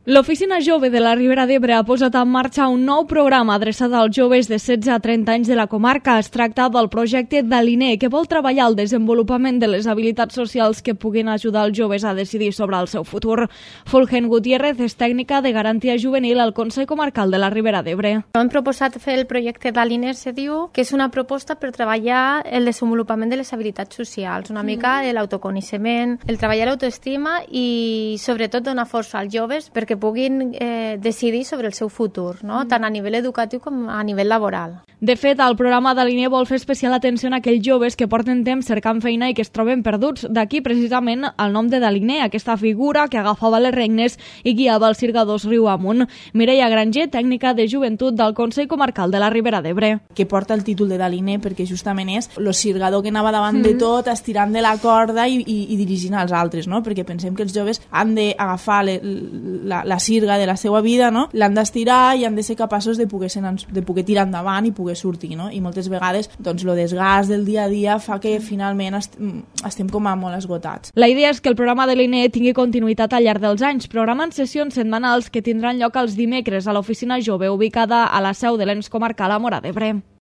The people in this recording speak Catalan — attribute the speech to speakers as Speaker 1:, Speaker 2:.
Speaker 1: L'Oficina Jove de la Ribera d'Ebre ha posat en marxa un nou programa adreçat als joves de 16 a 30 anys de la comarca. Es tracta del projecte Daliner, que vol treballar el desenvolupament de les habilitats socials que puguin ajudar els joves a decidir sobre el seu futur. Fulgen Gutiérrez és tècnica de garantia juvenil al Consell Comarcal de la Ribera d'Ebre.
Speaker 2: Hem proposat fer el projecte Daliner, se diu, que és una proposta per treballar el desenvolupament de les habilitats socials, una mica l'autoconeixement, el treballar l'autoestima i sobretot donar força als joves perquè puguin decidir sobre el seu futur, no? Tant a nivell educatiu com a nivell laboral.
Speaker 1: De fet, el programa Daliner vol fer especial atenció a aquells joves que porten temps cercant feina i que es troben perduts. D'aquí precisament el nom de Daliner, aquesta figura que agafava les regnes i guiava els sirgadors riu amunt. Mireia Granger, tècnica de joventut del Consell Comarcal de la Ribera d'Ebre.
Speaker 3: Que porta el títol de Daliner perquè justament és el sirgador que anava davant de tot, estirant de la corda i dirigint als altres, no? Perquè pensem que els joves han d'agafar la sirga de la seva vida, no? L'han d'estirar i han de ser capaços de poder tirar endavant i poder sortir, no? I moltes vegades doncs, el desgast del dia a dia fa que finalment estem com a molt esgotats.
Speaker 1: La idea és que el programa de l'INE tingui continuïtat al llarg dels anys, programant sessions setmanals que tindran lloc els dimecres a l'Oficina Jove, ubicada a la seu de l'ENS comarcal a Móra d'Ebre.